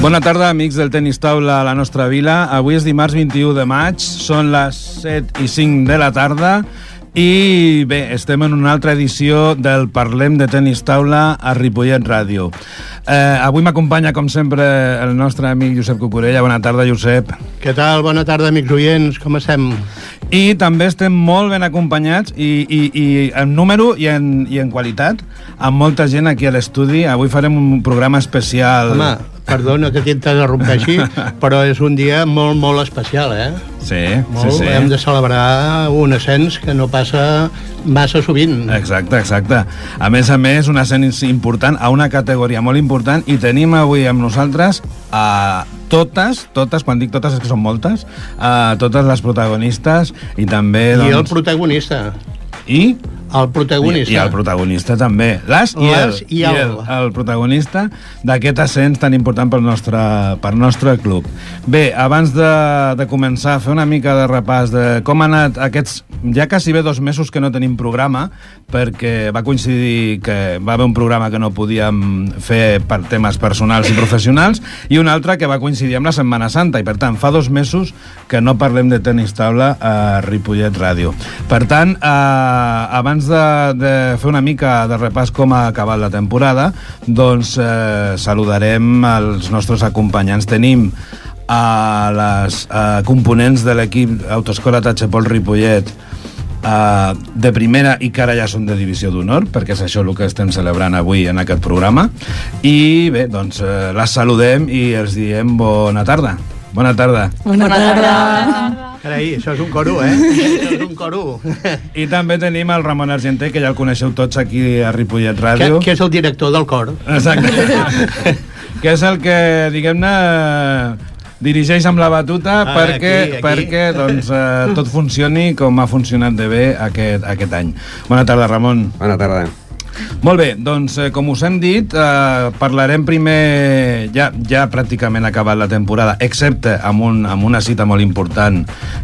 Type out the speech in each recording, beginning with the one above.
Bona tarda, amics del tenis taula a la nostra vila. Avui és dimarts 21 de maig, són les 7:05 de la tarda i bé, estem en una altra edició del Parlem de Tenis Taula a Ripollet Ràdio. Avui m'acompanya, com sempre, el nostre amic Josep Cucurella. Bona tarda, Josep. Què tal? Bona tarda, amics oients. Com estem? I també estem molt ben acompanyats i en número i en qualitat, amb molta gent aquí a l'estudi. Avui farem un programa especial. Home, perdona que t'interrompeixi, però és un dia molt, molt especial, eh? Sí, molt, sí. Hem de celebrar un ascens que no passa massa sovint. Exacte. A més, un ascens important a una categoria molt important, i tenim avui amb nosaltres a totes, quan dic totes és que són moltes, totes les protagonistes i també... I el protagonista. I el protagonista. I el protagonista també. El protagonista d'aquest ascens tan important pel nostre club. Bé, abans de començar a fer una mica de repàs de com han anat aquests... Ja quasi bé 2 mesos que no tenim programa, perquè va coincidir que va haver un programa que no podíem fer per temes personals i professionals, i un altre que va coincidir amb la Setmana Santa, i per tant fa 2 mesos que no parlem de tenis taula a Ripollet Ràdio. Per tant, abans de fer una mica de repàs com ha acabat la temporada, doncs saludarem els nostres acompanyants. Tenim a les components de l'equip Autoescola Tachepol Ripollet de primera, i que ara ja són de divisió d'honor, perquè és això el que estem celebrant avui en aquest programa. I bé, doncs les saludem i els diem bona tarda. Bona tarda. Bona tarda. Carai, això és un coro, eh? Això és un coro. I també tenim el Ramon Argenter, que ja el coneixeu tots aquí a Ripollet Ràdio. Que és el director del cor. Exacte. Que és el que, diguem-ne, dirigeix amb la batuta perquè doncs, tot funcioni com ha funcionat de bé aquest any. Bona tarda, Ramon. Bona tarda. Molt bé, doncs com us hem dit, parlarem primer, ja pràcticament ha acabat la temporada, excepte amb una cita molt important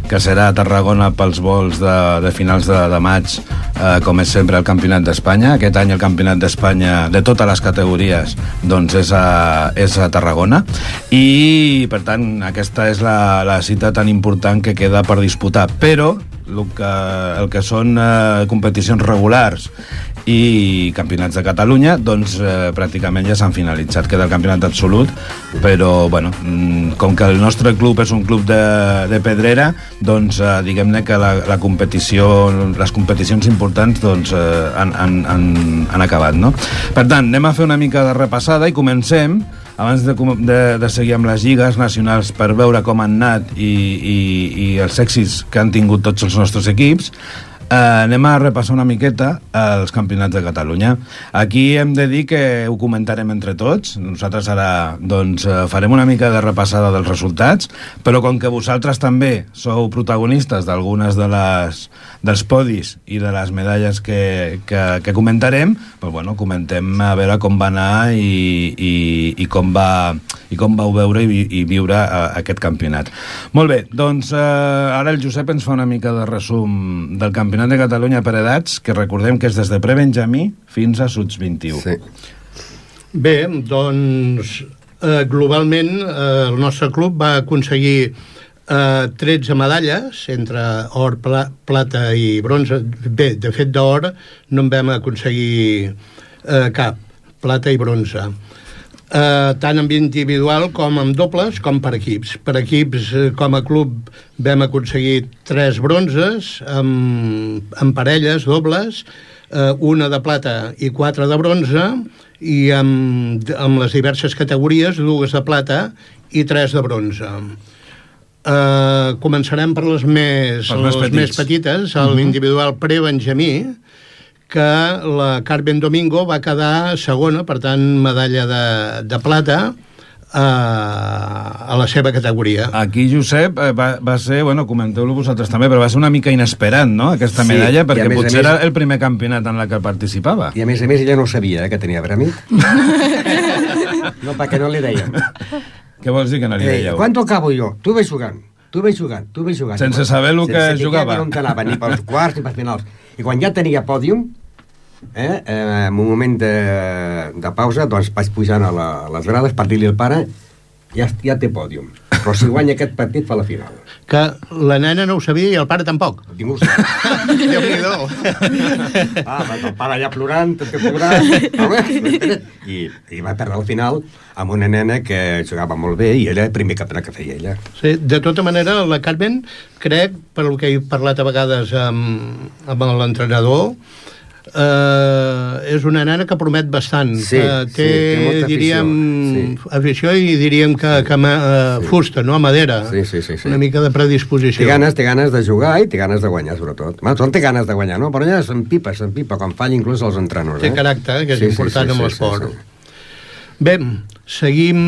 que serà a Tarragona pels vols de finals de maig, com és sempre el Campionat d'Espanya. Aquest any el Campionat d'Espanya de totes les categories doncs és a Tarragona, i per tant aquesta és la cita tan important que queda per disputar, però el que són competicions regulars i campionats de Catalunya, doncs pràcticament ja s'han finalitzat. Queda el campionat absolut, però bueno, com que el nostre club és un club de pedrera, doncs diguem-ne que la competició, les competicions importants doncs han acabat, no? Per tant, anem a fer una mica de repassada i comencem, abans de seguir amb les lligues nacionals per veure com han anat i els èxits que han tingut tots els nostres equips. Anem a repassar una miqueta els campionats de Catalunya. Aquí hem de dir que ho comentarem entre tots. Nosaltres ara doncs, farem una mica de repassada dels resultats, però com que vosaltres també sou protagonistes d'algunes dels podis i de les medalles que comentarem, doncs, bueno, comentem a veure com va anar i com vau veure i viure aquest campionat. Molt bé, doncs ara el Josep ens fa una mica de resum del campionat de Catalunya per edats, que recordem que és des de pre-benjamí fins a Suts 21. Sí. Bé, doncs globalment el nostre club va aconseguir 13 medalles entre or, plata i bronze. Bé, de fet d'or no en vam aconseguir cap, plata i bronze. Tant en individual com en dobles com per equips. Per equips, com a club, vam aconseguir 3 bronzes, en parelles, dobles, una de plata i 4 de bronze, i amb les diverses categories, 2 de plata i 3 de bronze. Començarem per les més petites, l'individual pre-benjamí, que la Carmen Domingo va quedar segona, per tant, medalla de plata a la seva categoria. Aquí, Josep, va ser, bueno, comenteu-lo vosaltres també, però va ser una mica inesperat, no?, aquesta medalla, perquè potser era el primer campionat en la que participava. I a més ella no sabia que tenia premi. No, perquè no li dèiem. Què vols dir que no li dèieu? ¿Cuánto acabo jo? Tu ves jugant. Sense saber el que jugava. Sense saber on anava, ni pels quarts ni pels finals. I quan ja tenia pòdium, en un moment de pausa, doncs vaig pujant a les grades per dir-li al pare ja té pòdium. Però si guanya aquest partit fa la final. Que la nena no ho sabia i el pare tampoc. Ningú ho sap. Déu-n'hi-do. El pare allà plorant, tot plorant. I va perdre al final amb una nena que jugava molt bé i era el primer campionat que feia ella. Sí, de tota manera, la Carmen, crec, per el que he parlat a vegades amb l'entrenador, és una nena que promet bastant. Sí, té molta diríem, afició, afició i diríem que fusta, no? Madera. Sí. Una mica de predisposició. Té ganes de jugar i té ganes de guanyar, sobretot. Tothom té ganes de guanyar, no? Però ella s'empipa, quan falla inclús els entrenadors. Té caràcter, que és important amb l'esport. Bé, seguim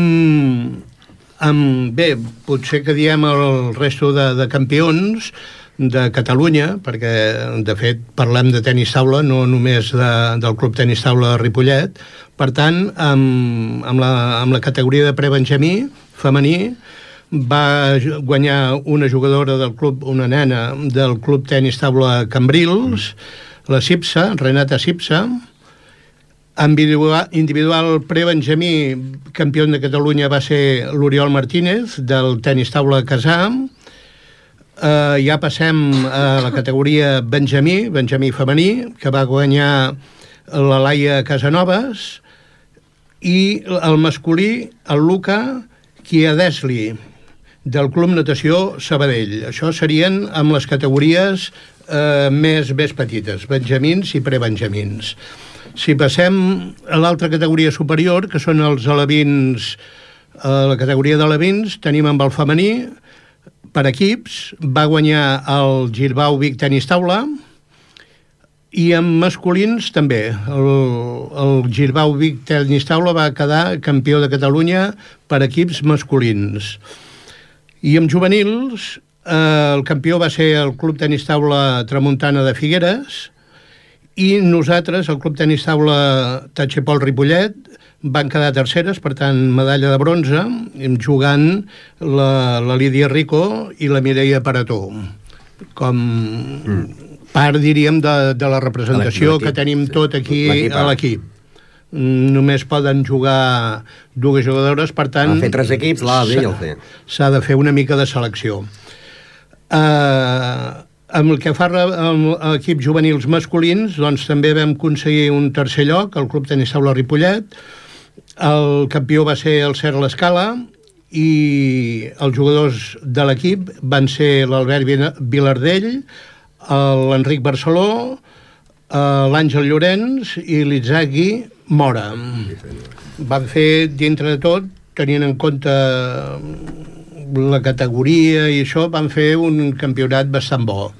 amb... Bé, potser que diem el resto de campions de Catalunya, perquè de fet parlem de tenis taula, no només del Club Tenis Taula de Ripollet. Per tant, amb la categoria de prebenjamí femení va guanyar una jugadora del club, una nena del Club Tenis Taula Cambrils, la Sipsa, Renata Sipsa. Individual prebenjamí, campió de Catalunya va ser l'Oriol Martínez del Tenis Taula Casà. Ja passem a la categoria benjamí femení, que va guanyar la Laia Casanovas, i el masculí, el Luca Chiadesli, del Club Natació Sabadell. Això serien amb les categories més petites, benjamins i prebenjamins. Si passem a l'altra categoria superior, que són els alevins, la categoria d'alevins, tenim amb el femení, per equips, va guanyar el Girbau Vic Tenis Taula, i amb masculins també. El Girbau Vic Tenis Taula va quedar campió de Catalunya per equips masculins. I amb juvenils, el campió va ser el Club Tenis Taula Tramuntana de Figueres, i nosaltres, el Club Tenis Taula Tachepol Ripollet, van quedar terceres, per tant, medalla de bronze, jugant la Lídia Rico i la Mireia Parató, com part, diríem, de la representació que tenim tot aquí a l'equip. Només poden jugar dues jugadores, per tant... Ha fet 3 equips, l'A, B i el C. S'ha de fer una mica de selecció. Amb el que fa a equips juvenils masculins, doncs també vam aconseguir un tercer lloc, el Club Tenis Taula Ripollet. El campió va ser el Cert L'Escala i els jugadors de l'equip van ser l'Albert Vilardell, l'Enric Barceló, l'Àngel Llorenç i l'Itzagui Mora. Van fer, dintre de tot, tenint en compte la categoria i això, van fer un campionat bastant bo.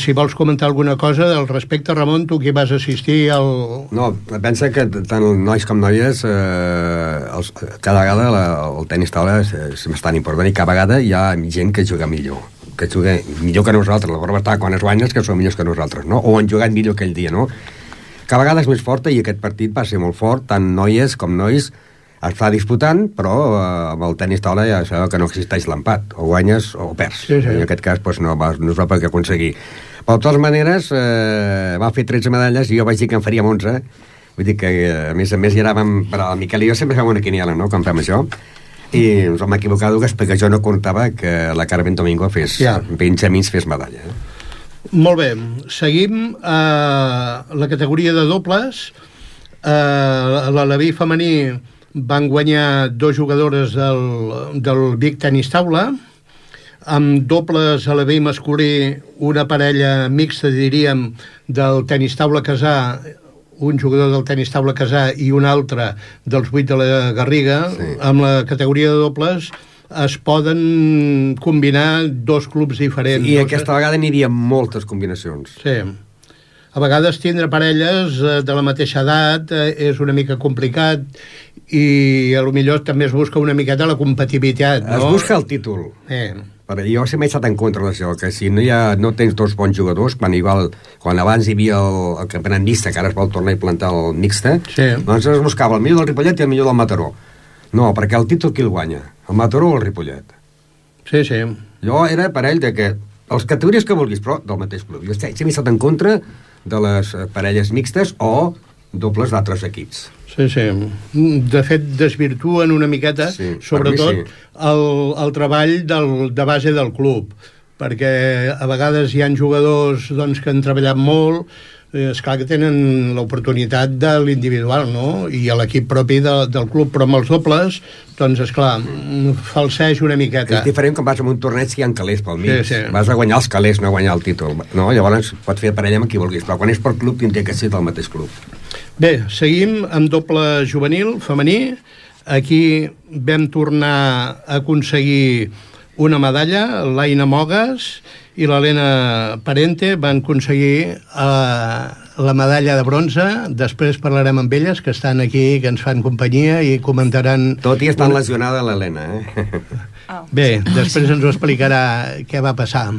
Si vols comentar alguna cosa al respecte, Ramon, tu que vas assistir al... No, pensa que tant nois com noies cada vegada el tenis taula és bastant important i cada vegada hi ha gent que juga millor que nosaltres. La prova està quan es guanyes que són millors que nosaltres, no? O han jugat millor aquell dia, no? Cada vegada és més forta i aquest partit va ser molt fort, tant noies com nois es fa disputant, però amb el tenis taula ja sabeu que no existeix l'empat, o guanyes o perds. Sí. En aquest cas doncs, no es va poder aconseguir. Però de totes maneres va fer 13 medalles i jo vaig dir que en faríem 11. Vull dir que a més hi anàvem, però el Miquel i jo sempre fem una quiniela, no?, quan fem això, i ens vam equivocar dues perquè jo no comptava que la Carmen Domingo fes benjamins, fes medalla. Molt bé, seguim la categoria de dobles. L'aleví femení van guanyar 2 jugadores del Vic Tenis Taula, amb dobles aleví masculí, una parella mixta, diríem, del Tenis Taula Casà, un jugador del Tenis Taula Casà i un altre dels 8 de la Garriga. Sí. Amb la categoria de dobles es poden combinar 2 clubs diferents. I aquesta vegada n'hi havia moltes combinacions. Sí. A vegades tindre parelles de la mateixa edat és una mica complicat i a lo millor també es busca una miqueta la compatibilitat, no? Es busca el títol. Jo sempre he estat en contra d'això, que si no tens 2 bons jugadors, quan abans hi havia el campionat mixte, que ara es vol tornar a implantar el mixte, doncs es buscava el millor del Ripollet i el millor del Mataró. No, perquè el títol qui el guanya? El Mataró o el Ripollet? Sí. Jo era parell de que les categories que vulguis, però del mateix club. Jo sempre he estat en contra de les parelles mixtes o dobles d'altres equips. Sí. De fet, desvirtuen una miqueta, sobretot, el treball de base del club, perquè a vegades hi ha jugadors doncs, que han treballat molt, esclar que tenen l'oportunitat de l'individual, no? I a l'equip propi del club, però amb els dobles, doncs, esclar, falseja una miqueta. És diferent quan vas a un torneig que hi ha calés pel mig. Sí. Vas a guanyar els calés, no a guanyar el títol. No? Llavors pots fer parella amb qui vulguis, però quan és per club tindria que ser del mateix club. Bé, seguim amb doble juvenil femení. Aquí vam tornar a aconseguir una medalla, l'Aina Mogues i l'Helena Parente van aconseguir la medalla de bronze. Després parlarem amb elles, que estan aquí, que ens fan companyia i comentaran... Tot i estan lesionada l'Helena, Bé, després ens ho explicarà què va passar,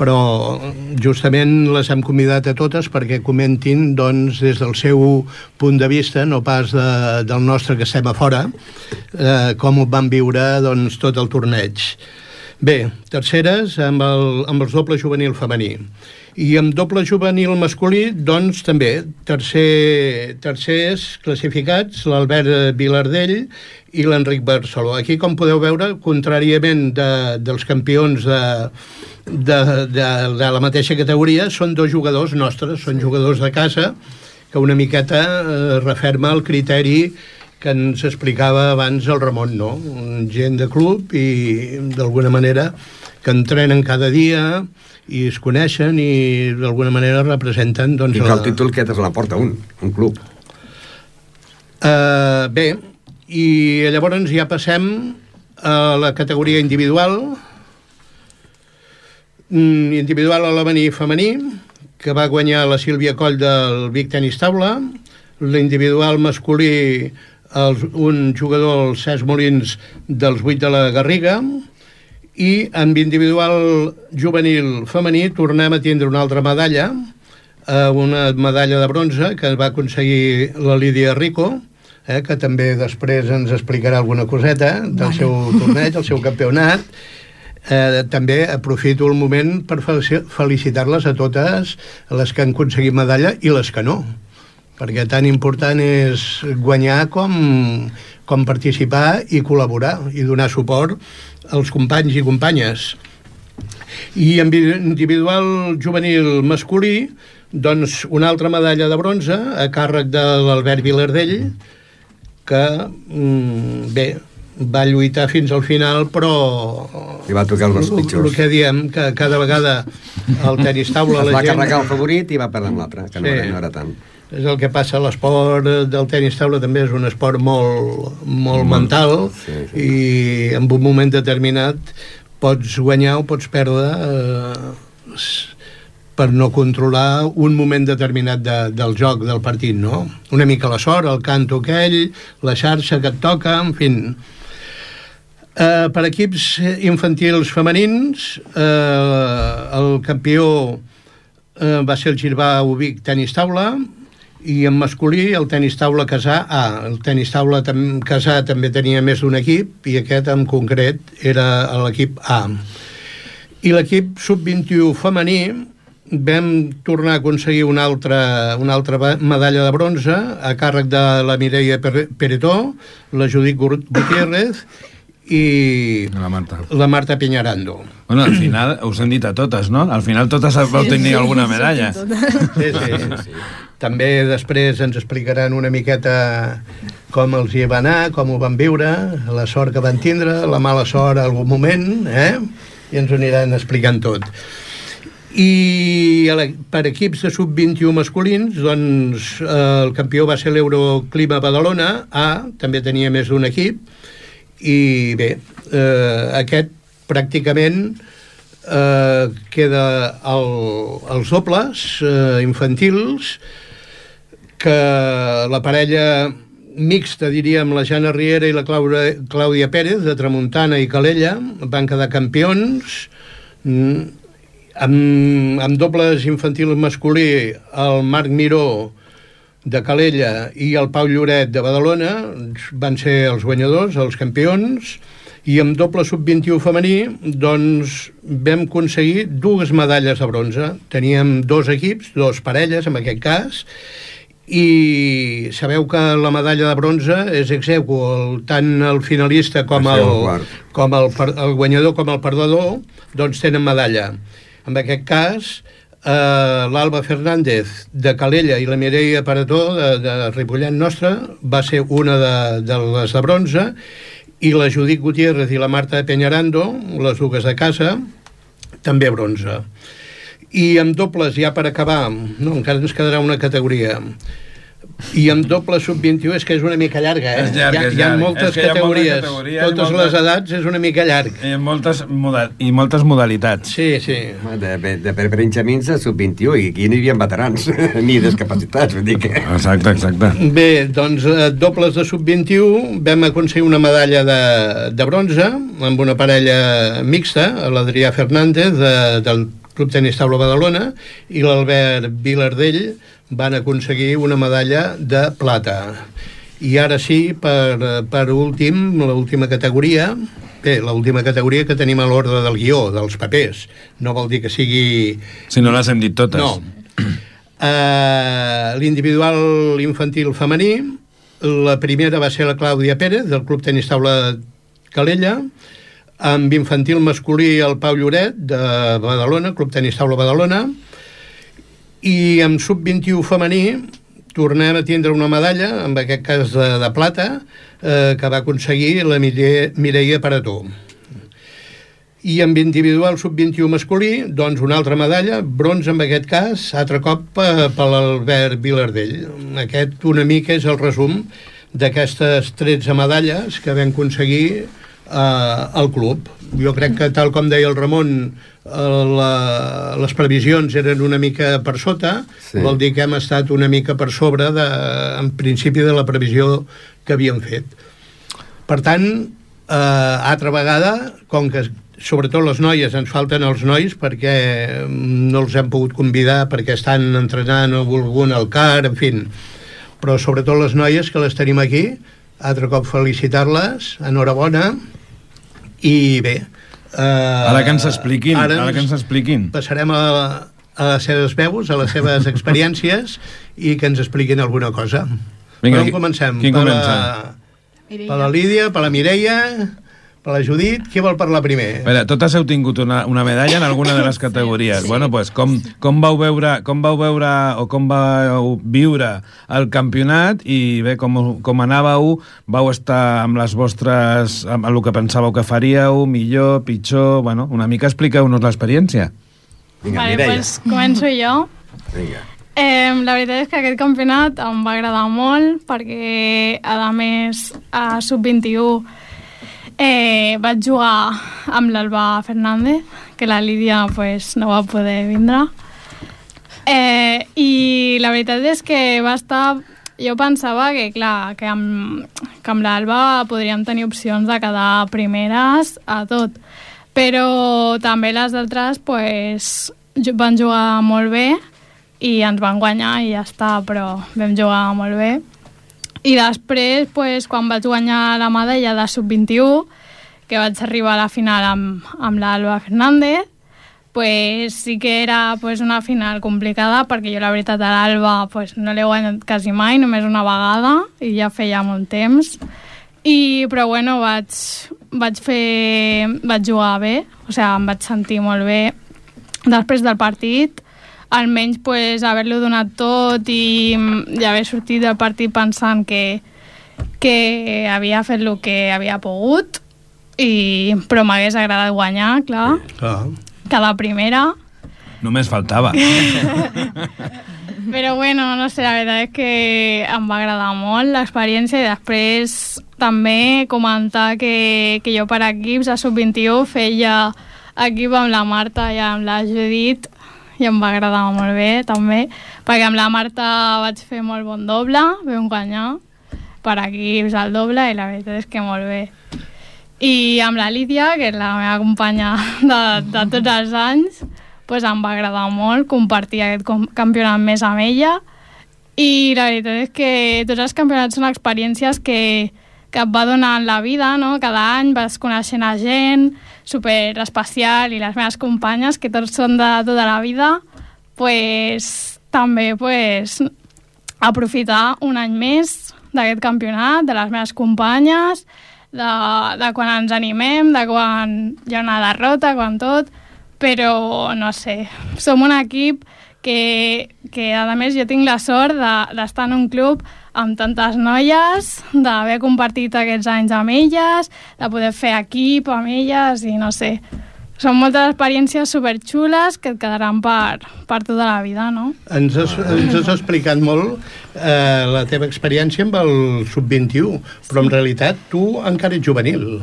però justament les hem convidat a totes perquè comentin, doncs, des del seu punt de vista, no pas del nostre que estem a fora, com ho van viure, doncs, tot el torneig. Bé, terceres amb els doble juvenil femení. I amb doble juvenil masculí, doncs, també, tercers classificats, l'Albert Vilardell i l'Enric Barceló. Aquí, com podeu veure, contràriament dels campions de la mateixa categoria, són dos jugadors nostres, són jugadors de casa, que una miqueta referma el criteri que ens explicava abans el Ramon, no? Gent de club i, d'alguna manera, que entrenen cada dia i es coneixen i, d'alguna manera, representen... Doncs, i que el títol que és la porta un club. Bé, i llavors ja passem a la categoria individual. Individual a l'avenir femení, que va guanyar la Sílvia Coll del Vic Tenis Taula. L'individual masculí, un jugador, el Cesc Molins, dels 8 de la Garriga. I amb individual juvenil femení tornem a tindre una altra medalla, una medalla de bronze que va aconseguir la Lídia Rico, que també després ens explicarà alguna coseta del seu torneig, el seu campionat. També aprofito el moment per felicitar-les a totes les que han aconseguit medalla i les que no, perquè tan important és guanyar com participar i col·laborar i donar suport als companys i companyes. I en individual juvenil masculí, doncs una altra medalla de bronze a càrrec de l'Albert Vilardell, que bé, va lluitar fins al final, però i va tocar els pitjors. El que diem, que cada vegada el tenis taula es va carregar el favorit i va perdre amb l'altre, que no era tant. És el que passa, l'esport del tenis taula també és un esport molt mental, i en un moment determinat pots guanyar o pots perdre per no controlar un moment determinat del joc, del partit, no? Una mica la sort, el canto aquell, la xarxa que et toca, en fi. Per equips infantils femenins, el campió va ser el Girbà Ubic Tenis Taula, i en masculí el tenis taula casà el tenis taula casà també tenia més d'un equip, i aquest en concret era l'equip A. I l'equip sub-21 femení vam tornar a aconseguir una altra medalla de bronze a càrrec de la Mireia Peretó, la Judit Gutiérrez i la Marta Piñarando. Bueno, al final us hem dit a totes, no? Al final totes vau tenir alguna medalla. Sí. També després ens explicaran una miqueta com els hi va anar, com ho van viure, la sort que van tindre, la mala sort en algun moment, i ens ho aniran explicant tot. I per equips de sub-21 masculins, doncs el campió va ser l'Euroclima Badalona A, també tenia més d'un equip, i bé, aquest pràcticament queda els dobles infantils, que la parella mixta, diríem, la Jana Riera i la Clàudia Pérez, de Tramuntana i Calella, van quedar campions. Amb dobles infantils masculí, el Marc Miró de Calella i el Pau Lloret de Badalona van ser els guanyadors, els campions. I amb doble sub-21 femení, doncs, vam aconseguir 2 medalles de bronze. Teníem 2 equips, 2 parelles, en aquest cas, i sabeu que la medalla de bronze és ex aequo, tant el finalista com el guanyador com el perdedor doncs tenen medalla. En aquest cas l'Alba Fernández de Calella i la Mireia Parató de Ripollet Nostra va ser una de les de bronze, i la Judit Gutiérrez i la Marta Peñarando, les dues de casa, també bronze. I amb dobles, ja per acabar, no, encara ens quedarà una categoria, i amb doble sub-21 és que és una mica llarga, És llarg, hi ha moltes categories, totes les edats és una mica llarg. I moltes modalitats. Sí. De Benjamins a sub-21, i aquí no hi havia veterans ni discapacitats, vull dir que... Exacte. Bé, doncs dobles de sub-21 vam aconseguir una medalla de bronze amb una parella mixta, l'Adrià Fernández del Club Tenis Taula Badalona i l'Albert Vilardell van aconseguir una medalla de plata. I ara sí, per últim, l'última categoria, l'última categoria que tenim a l'ordre del guió, dels papers. No vol dir que sigui... Si no les hem dit totes. No. L'individual infantil femení, la primera va ser la Clàudia Pérez, del Club Tenis Taula Calella, amb infantil masculí el Pau Lloret, de Badalona, Club Tenis Taula Badalona, i amb sub-21 femení tornem a tindre una medalla, en aquest cas de plata, que va aconseguir la Mireia Parató. I amb individual sub-21 masculí, doncs una altra medalla, bronze en aquest cas, altre cop per l'Albert Vilardell. Aquest una mica és el resum d'aquestes 13 medalles que vam aconseguir al club. Jo crec que, tal com deia el Ramon, les previsions eren una mica per sota, sí. Vol dir que hem estat una mica per sobre en principi de la previsió que havíem fet. Per tant, altra vegada, com que sobretot les noies, ens falten els nois perquè no els hem pogut convidar perquè estan entrenant algun al CAR, en fi, però sobretot les noies que les tenim aquí, altre cop felicitar-les, enhorabona, i bé, ara que ens expliquin, passarem a les seves veus, a les seves experiències, i que ens expliquin alguna cosa. Vinga, per on comencem? Qui comença? Per la Lídia, per la Mireia, per la Judit. Qui vol parlar primer? A veure, totes heu tingut una medalla en alguna de les categories. Sí. Bueno, pues, com vau veure o com vau viure el campionat, i bé, com anàveu, vau estar amb les vostres, amb el que pensàveu que faríeu, millor, pitjor, bueno, una mica expliqueu-nos l'experiència. Vinga, vale, Mireia. pues començo jo. Vinga. La veritat és que aquest campionat em va agradar molt perquè, a més, a sub-21 vaig jugar amb l'Alba Fernández, que la Lídia pues, no va poder vindre. I la veritat és que va estar... Jo pensava que, clar, que amb l'Alba podríem tenir opcions de quedar primeres a tot. Però també les altres pues, van jugar molt bé i ens van guanyar i ja està, però vam jugar molt bé. I després, pues, quan vaig guanyar la medalla de sub-21, que vaig arribar a la final amb l'Alba Fernández, pues, sí que era pues, una final complicada, perquè jo la veritat a l'Alba pues, no l'he guanyat quasi mai, només una vegada, i ja feia molt temps. Però bueno, vaig jugar bé, o sigui, em vaig sentir molt bé després del partit, almenys pues, haver-lo donat tot i haver sortit del partit pensant que havia fet el que havia pogut, però m'hagués agradat guanyar, clar. Cada primera. Només faltava. Però bueno, no sé, la veritat és que em va agradar molt l'experiència, i després també comentar que jo per equips a sub-21 feia equip amb la Marta i amb la Judit, i em va agradar molt bé també, perquè amb la Marta vaig fer molt bon doble, vam guanyar per equips al doble, i la veritat és que molt bé. I amb la Lídia, que és la meva companya de tots els anys, pues em va agradar molt compartir aquest campionat més amb ella, i la veritat és que tots els campionats són experiències que et va donant la vida, no? Cada any vas coneixent a gent super especial, i les meves companyes, que tots són de tota la vida, pues també pues, aprofitar un any més d'aquest campionat, de les meves companyes, de quan ens animem, de quan hi ha una derrota, quan tot, però no sé, som un equip que a més jo tinc la sort d'estar en un club amb tantes noies, d'haver compartit aquests anys amb elles, de poder fer equip amb elles i no sé, són moltes experiències superxules que et quedaran per tota la vida, no? Ens has explicat molt la teva experiència amb el Sub-21, però en realitat tu encara ets juvenil.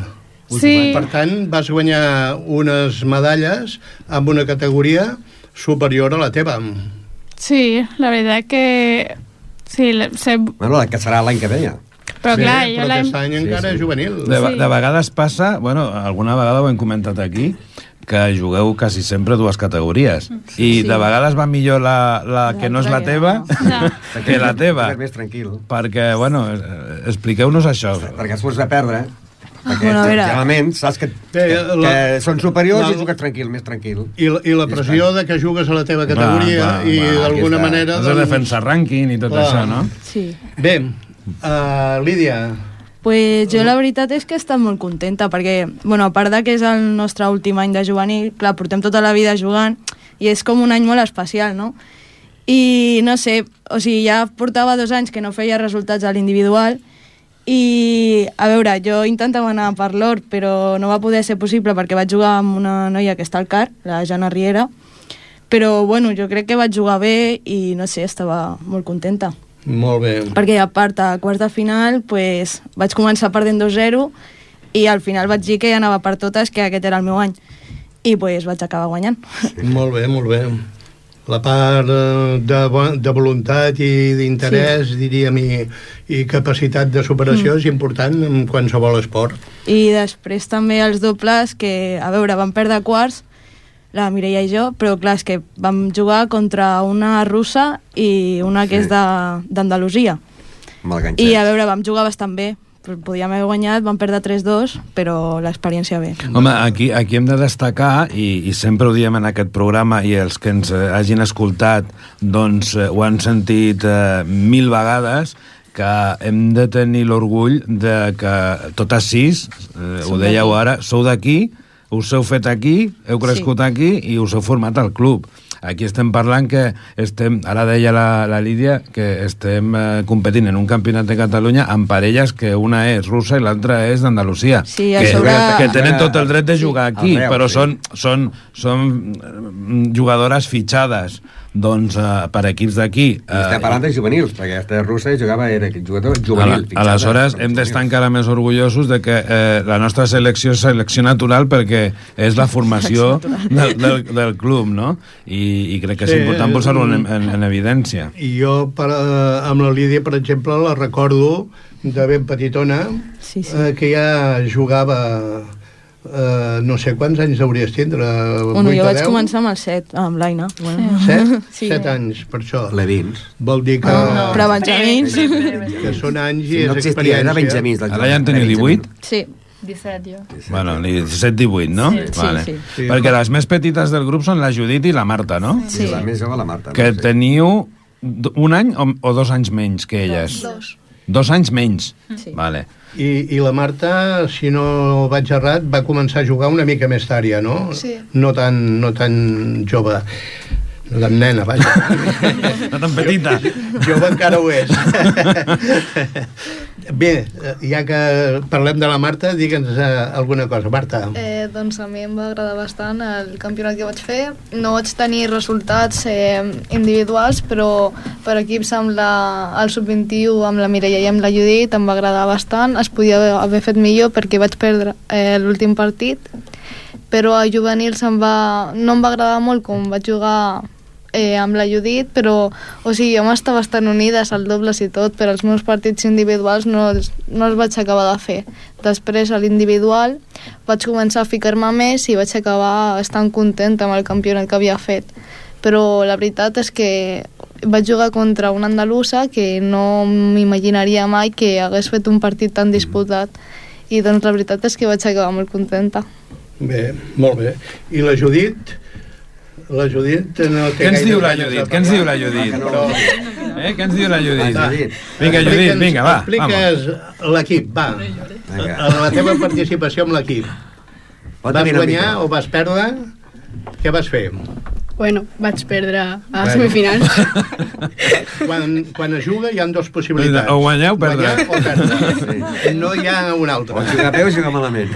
Sí. Per tant, vas guanyar unes medalles amb una categoria superior a la teva. Sí, la veritat que... Sí, Bueno, que serà l'any que ve ja. Però clar, però aquest any encara és juvenil. De vegades passa, bueno, alguna vegada ho hem comentat aquí, que jugueu quasi sempre dues categories. I de vegades va millor la que no és la teva que la teva. És més tranquil. Perquè, bueno, expliqueu-nos això. Perquè es fos de perdre, perquè Bueno, a veure. generalment saps que són superiors i jugues tranquil, més tranquil. I la pressió de que jugues a la teva categoria i d'alguna manera... Has de defensar rànquing i tot això, no? Sí. Bé, Lídia... Pues jo la veritat és que he estat molt contenta perquè, bueno, a part de que és el nostre últim any de juvenil, clar, portem tota la vida jugant i és com un any molt especial, no? I no sé, o sigui, ja portava 2 anys que no feia resultats a l'individual i, a veure, jo intentava anar per l'or, però no va poder ser possible perquè vaig jugar amb una noia que està al CAR, la Jana Riera, però, bueno, jo crec que vaig jugar bé i, no sé, estava molt contenta. Molt bé. Perquè a part a quarts de final pues, vaig començar perdent 2-0 i al final vaig dir que anava per totes, que aquest era el meu any i pues, vaig acabar guanyant. Molt bé, molt bé. La part de voluntat i d'interès, diríem, i capacitat de superació és important en qualsevol esport. I després també els dobles que, a veure, vam perdre quarts la Mireia i jo, però clar, és que vam jugar contra una russa i una que és d'Andalusia. I a veure, vam jugar bastant bé, podíem haver guanyat, vam perdre 3-2, però l'experiència bé. Home, aquí hem de destacar, i sempre ho diem en aquest programa, i els que ens hagin escoltat doncs ho han sentit 1000 vegades, que hem de tenir l'orgull de que totes 6, ho dèieu ara, sou d'aquí, us heu fet aquí, heu crescut aquí i us heu format al club. Aquí estem parlant que estem, ara deia la Lídia, que estem competint en un campionat de Catalunya amb parelles que una és russa i l'altra és d'Andalusia. Sí, que tenen tot el dret de jugar aquí, però són jugadores fitxades doncs per equips d'aquí. Estem parlant de juvenils, perquè aquesta russa era jugador juvenil. Aleshores, hem d'estar encara més orgullosos de que la nostra selecció és selecció natural perquè és la formació del club, no? I crec que és important posar-ho en evidència. I jo, amb la Lídia, per exemple, la recordo de ben petitona, que ja jugava... no sé quants anys hauries tindre, 8 bueno, jo vaig 10? Començar amb el 7, amb l'Aina. Bueno. 7? Sí. 7 anys, per això. Levins. Vol dir que... Però benjamins. Que són anys i és experiència. experiència. Benjamins. Ara ja en teniu 18? Sí. 17 jo. Bueno, 17-18, no? Sí. Vale. Sí. Perquè les més petites del grup són la Judit i la Marta, no? Sí. La més jove, la Marta. Que teniu un any o 2 anys menys que elles? 2 anys menys? Sí. Vale. I la Marta, si no vaig errat, va començar a jugar una mica més tard ja, no? Sí. No tan jove. No tan nena, vaja. No tan petita. Jove encara ho és. Bé, ja que parlem de la Marta, digue'ns alguna cosa. Marta. Doncs a mi em va agradar bastant el campionat que vaig fer. No vaig tenir resultats individuals, però per equips amb el Sub-21, amb la Mireia i amb la Judit, em va agradar bastant. Es podia haver fet millor perquè vaig perdre l'últim partit, però a juvenils no em va agradar molt com vaig jugar amb la Judit, però o sigui, jo m'està bastant unides al dobles i tot, però els meus partits individuals no els vaig acabar de fer. Després a l'individual vaig començar a ficar-me més i vaig acabar estant contenta amb el campionat que havia fet, però la veritat és que vaig jugar contra una andalusa que no m'imaginaria mai que hagués fet un partit tan disputat, i doncs la veritat és que vaig acabar molt contenta. Bé, molt bé. I la Judit? La Judit no té Què ens gaire diu la ganes de Judit? Què ens diu la parlar. Judit? Però Què ens diu la Judit? Vinga, Judit, vinga, va. Expliques l'equip, va. La teva participació amb l'equip. Vas guanyar o vas perdre? Què vas fer? Bueno, vaig perdre a semifinals. Quan es juga hi ha dues possibilitats. O guanyar o perdre. Guanyar o perdre. No hi ha una altra. O jugar bé o jugar malament.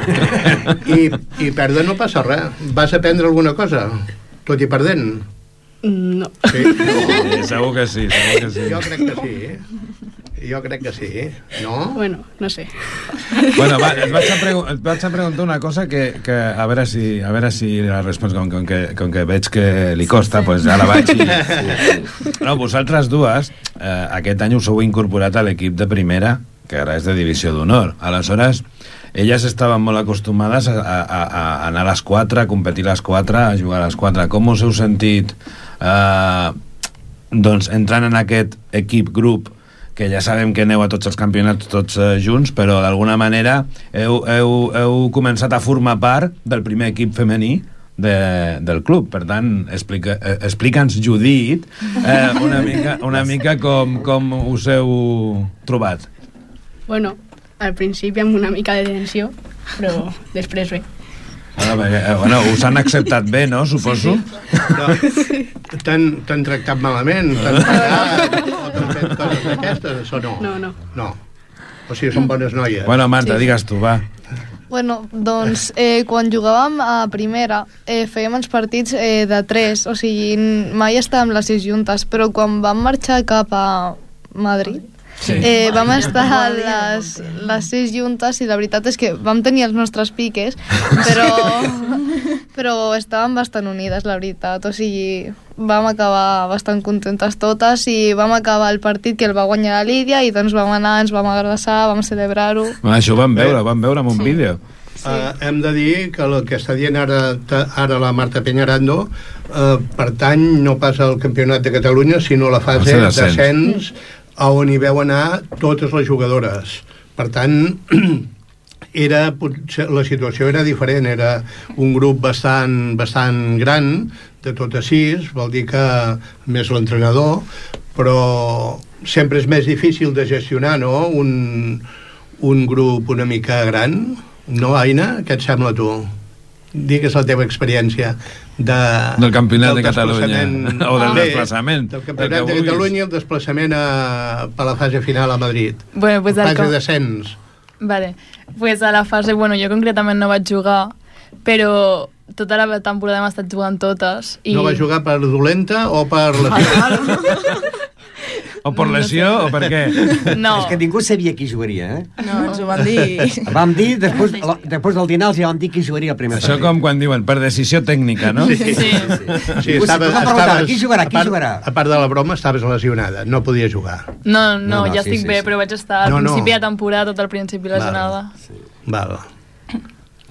I perdre no passa res. Vas aprendre alguna cosa, tot i perdent? No. Sí. Segur que sí, segur que sí. Jo crec que sí. Jo crec que sí, no? Bueno, no sé. Bueno, va, et vaig a preguntar una cosa que a veure si la respons, com que veig que li costa, doncs ja la vaig i... No, vosaltres dues, aquest any us heu incorporat a l'equip de primera, que ara és de divisió d'honor. Aleshores, elles estaven molt acostumades a anar a les 4, a competir a les 4, a jugar a les 4. Com us heu sentit doncs, entrant en aquest equip-grup, que ja sabem que aneu a tots els campionats tots junts, però d'alguna manera heu començat a formar part del primer equip femení del club. Per tant, explica'ns, Judit, una mica com us heu trobat. Bueno, al principi amb una mica de tensió, però després bé. Bueno, us han acceptat bé, no? Suposo. Sí. T'han tractat malament? T'han pagat? O t'han fet coses d'aquestes, o no? No. O sigui, són bones noies. Bueno, Marta, digues tu, va. Bueno, doncs, quan jugàvem a primera, fèiem els partits de 3, o sigui, mai estàvem les 6 juntes, però quan vam marxar cap a Madrid, vam estar les 6 juntes i la veritat és que vam tenir els nostres piques, però estàvem bastant unides, la veritat. O sigui, vam acabar bastant contentes totes i vam acabar el partit que el va guanyar la Lídia i doncs vam anar, ens vam abraçar, vam celebrar-ho. Això ho vam veure en un vídeo. Hem de dir que el que està dient ara la Marta Peñarando pertany no pas al Campionat de Catalunya, sinó a la fase d'ascens, on hi veu anar totes les jugadores. Per tant, la situació era diferent, era un grup bastant gran, de totes 6, vol dir que més l'entrenador, però sempre és més difícil de gestionar, no?, un grup una mica gran. No, Aina? Què et sembla, tu? Digues la teva experiència del Campionat de Catalunya o del desplaçament del Campionat de Catalunya i el desplaçament per la fase final a Madrid. Bueno, pues fase d'ascens. Vale, pues a la fase, bueno, jo concretament no vaig jugar, però tota la temporada hem estat jugant totes i... No vas jugar per dolenta o per lesió? O per lesió, o per què? No. És que ningú sabia qui jugaria, eh? No, ens ho van dir. Vam dir, després del dinar els ja vam dir qui jugaria el primer partit. Això com quan diuen, per decisió tècnica, no? Sí. Qui jugarà? A part de la broma, estaves lesionada, no podies jugar. No, ja estic bé, però vaig estar al principi de temporada, tot al principi lesionada. Val.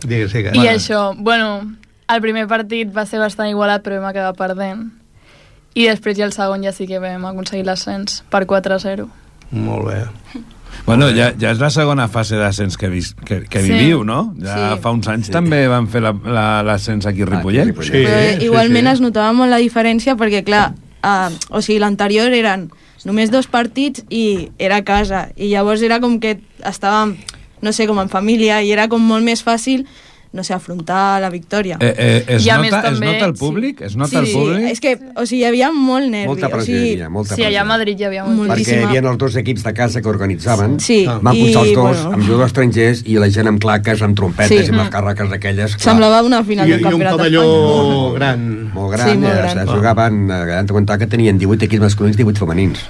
Digues. I això, bueno, el primer partit va ser bastant igualat, però vam acabar perdent. I després ja el segon ja sí que vam aconseguir l'ascens per 4-0. Molt bé. Bueno, ja és la segona fase d'ascens que viviu, no? Ja fa uns anys també van fer l'ascens aquí a Ripollet. Sí, igualment es notava molt la diferència perquè, clar, o sigui, l'anterior eren només 2 partits i era a casa. I llavors era com que estàvem, no sé, com en família i era com molt més fàcil, no sé, afrontar la victòria. Es nota el públic? Es nota el públic? És que, o sigui, hi havia molt nervi. Molta pressió hi havia, molta pressió. Sí, allà a Madrid hi havia moltíssima. Perquè hi havia els 2 equips de casa que organitzaven, sí, van posar els 2 amb jugadors estrangers i la gent amb claques, amb trompetes i amb les càrreques d'aquelles. Semblava una final del Campionat d'Espanya. I un pavelló gran. Molt gran, ja es jugaven, hem de comptar que tenien 18 equips masculins i 18 femenins.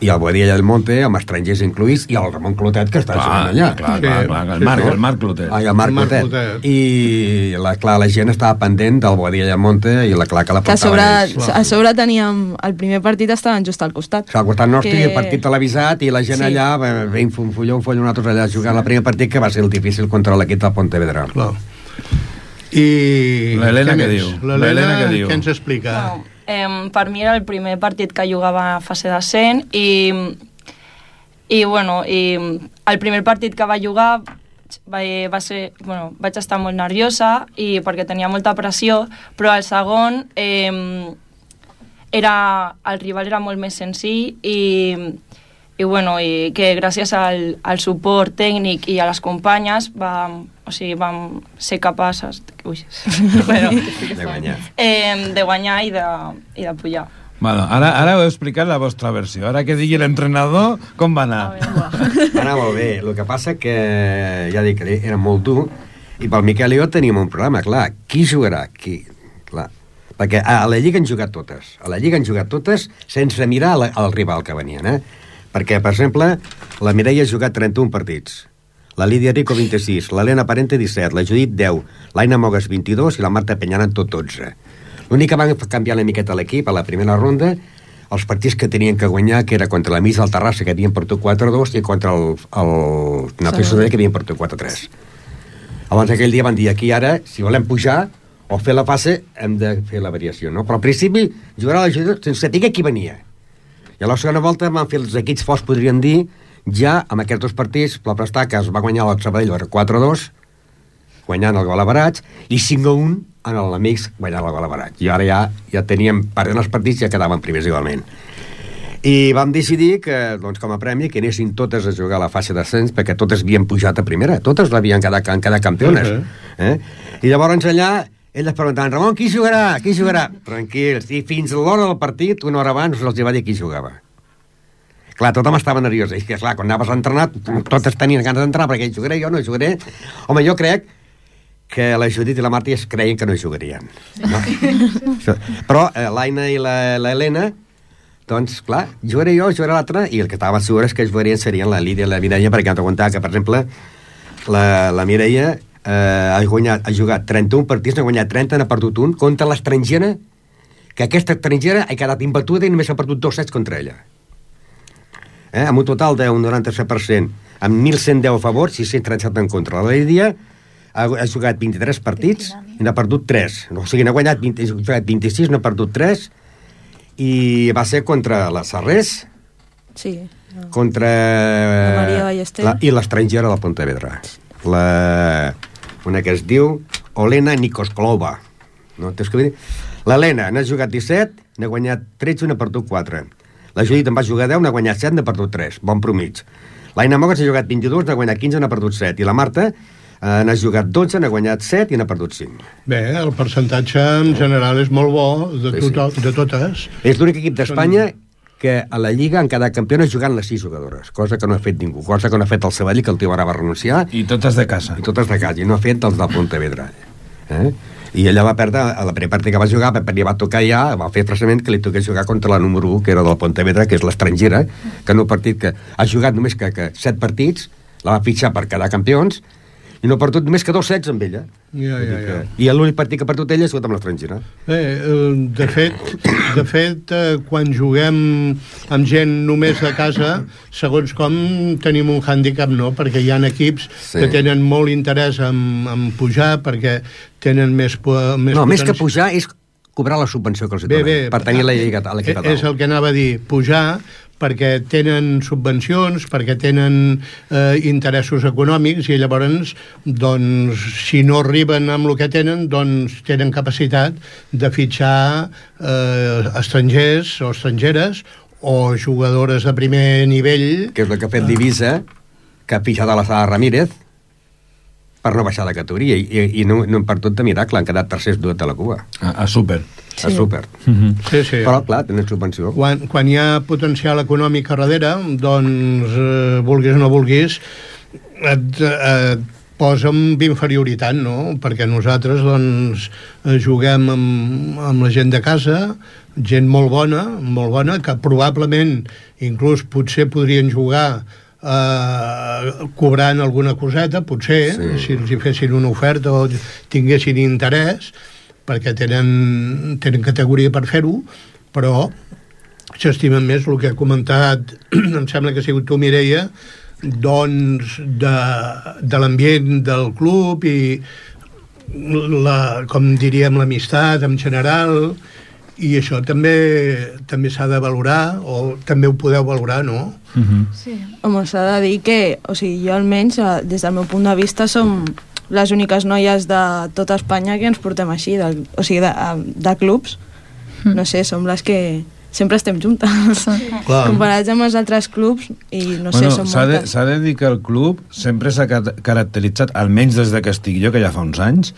I el Boadilla del Monte, amb estrangers incluïts, i el Ramon Clotet, que està jugant allà. Clar, el Marc Clotet. El Marc Clotet. I, clar, la gent estava pendent del Boadilla del Monte i la clar que la portaven ells. A sobre teníem... El primer partit estaven just al costat. Al costat nostre i el partit televisat i la gent allà, ben follon, nosaltres allà jugant el primer partit, que va ser el difícil contra l'equip del Pontevedra. Clar. I... L'Helena què diu? L'Helena què ens explica? No. Per mi era el primer partit que jugava a fase d'ascens i el primer partit que va jugar va ser, vaig estar molt nerviosa i perquè tenia molta pressió, però el segon el rival era molt més senzill i que gràcies al suport tècnic i a les companyes vam ser capaces de guanyar i de pujar. Bueno, ara heu explicat la vostra versió. Ara que digui l'entrenador, com va anar? Va anar molt bé. El que passa que, ja dic, era molt dur, i pel Miquel i jo teníem un problema, clar, qui jugarà? Clar, perquè a la Lliga han jugat totes. A la Lliga han jugat totes sense mirar al rival que venien, Perquè, per exemple, la Mireia ha jugat 31 partits, la Lídia Rico 26, l'Helena Parente 17, la Judit 10, l'Aina Mogues 22 i la Marta Penyana tot 12. L'únic que van canviar una miqueta l'equip a la primera ronda, els partits que tenien que guanyar, que era contra la Missa del Terrassa, que havien perdut 4-2, i contra el Napiso que havien perdut 4-3. Abans aquell dia van dir, aquí ara, si volem pujar o fer la fase, hem de fer la variació, no? Però al principi jugarà la Judit sense saber qui venia. I a la segona volta van fer els equips forts, podríem dir, ja amb aquests dos partits, la Prestà, que es va guanyar el Sabadell 4-2, guanyant el gol a barats, i 5-1 en l'Amics guanyant el gol a barats. I ara ja teníem, perdent els partits, ja quedaven primers igualment. I vam decidir que, doncs, com a premi, que anessin totes a jugar a la fase d'ascens, perquè totes havien pujat a primera, totes l'havien quedat campiones. I llavors allà elles preguntaven, Ramon, qui jugarà? Qui jugarà? Tranquils. I fins a l'hora del partit, una hora abans, els va dir qui jugava. Clar, tothom estava nerviós. I clar, quan anaves a entrenar, totes tenien ganes d'entrar, perquè jugaré jo, no jugaré. Home, jo crec que la Judit i la Marta es creien que no jugarien. No? Però l'Aina i l'Helena, doncs, clar, jugaré jo, jugarà l'altra, i el que estava segur és que jugarien serien la Lídia i la Mireia, perquè hem de comptar que, per exemple, la Mireia ha jugat 31 partits, n'ha guanyat 30, n'ha perdut un, contra l'estrangera, que aquesta estrangera ha quedat imbatuda i només ha perdut 2 sets contra ella. Amb un total d'un 97%, amb 1.110 a favor, 637 en contra. La Lídia ha jugat 23 partits i n'ha perdut 3. O sigui, n'ha guanyat 26, n'ha perdut 3, i va ser contra la Sarrés, contra la Maria Ballester i l'estrangera de Pontevedra. Una que es diu Olena Nikosklova. No? L'Helena n'ha jugat 17, n'ha guanyat 13, n'ha perdut 4. La Judit en va jugar 10, n'ha guanyat 7, n'ha perdut 3. Bon promig. L'Aina Mogues ha jugat 22, n'ha guanyat 15, n'ha perdut 7. I la Marta n'ha jugat 12, n'ha guanyat 7 i n'ha perdut 5. Bé, el percentatge en general és molt bo de totes. És l'únic equip d'Espanya que a la Lliga han quedat campiones jugant les 6 jugadores, cosa que no ha fet ningú, cosa que no ha fet el Sabadell, que el tio ara va renunciar. I totes de casa. I no ha fet els del Pontevedra. I ella va perdre, a la primera partida que va jugar, li va tocar ja, va fer expressament que li toqués jugar contra la número 1, que era del Pontevedra, que és l'estrangera, que en un partit que ha jugat només que 7 partits, la va fitxar per quedar campions, i no ha perdut més que 2 sets amb ella. I l'únic partit que ha perdut ella ha sigut amb l'estrangera. De fet, quan juguem amb gent només de casa, segons com tenim un hàndicap, no? Perquè hi ha equips que tenen molt interès en pujar, perquè tenen més més que pujar és cobrar la subvenció que els donen, per tenir la Lliga a l'equip a dalt. És el que anava a dir, pujar, perquè tenen subvencions, perquè tenen interessos econòmics, i llavors, doncs, si no arriben amb el que tenen, doncs tenen capacitat de fitxar estrangers o estrangeres o jugadores de primer nivell. Que és el que ha fet l'Ibisa, que ha fitxat a la Sala Ramírez per no baixar de categoria, i no hem perdut de miracle, han quedat tercers duet de la Cuba. A Súper. A Súper. Sí. Però, clar, tenen subvenció. Quan hi ha potencial econòmic a darrere, doncs, vulguis o no vulguis, et posa amb inferioritat, no? Perquè nosaltres, doncs, juguem amb la gent de casa, gent molt bona, que probablement, inclús potser podrien jugar cobrant alguna coseta, potser, si els hi fessin una oferta o tinguessin interès, perquè tenen categoria per fer-ho, però s'estimen més el que ha comentat, em sembla que ha sigut tu, Mireia, doncs de l'ambient del club i com diríem l'amistat en general, i això també s'ha de valorar, o també ho podeu valorar, no? Sí. Home, s'ha de dir que, o sigui, jo almenys, des del meu punt de vista, som les úniques noies de tota Espanya que ens portem així, o sigui, de clubs. No sé, som les que sempre estem juntes. Clar. Comparats amb els altres clubs, i no sé, són moltes. S'ha de dir que el club sempre s'ha caracteritzat, almenys des que estic jo, que ja fa uns anys,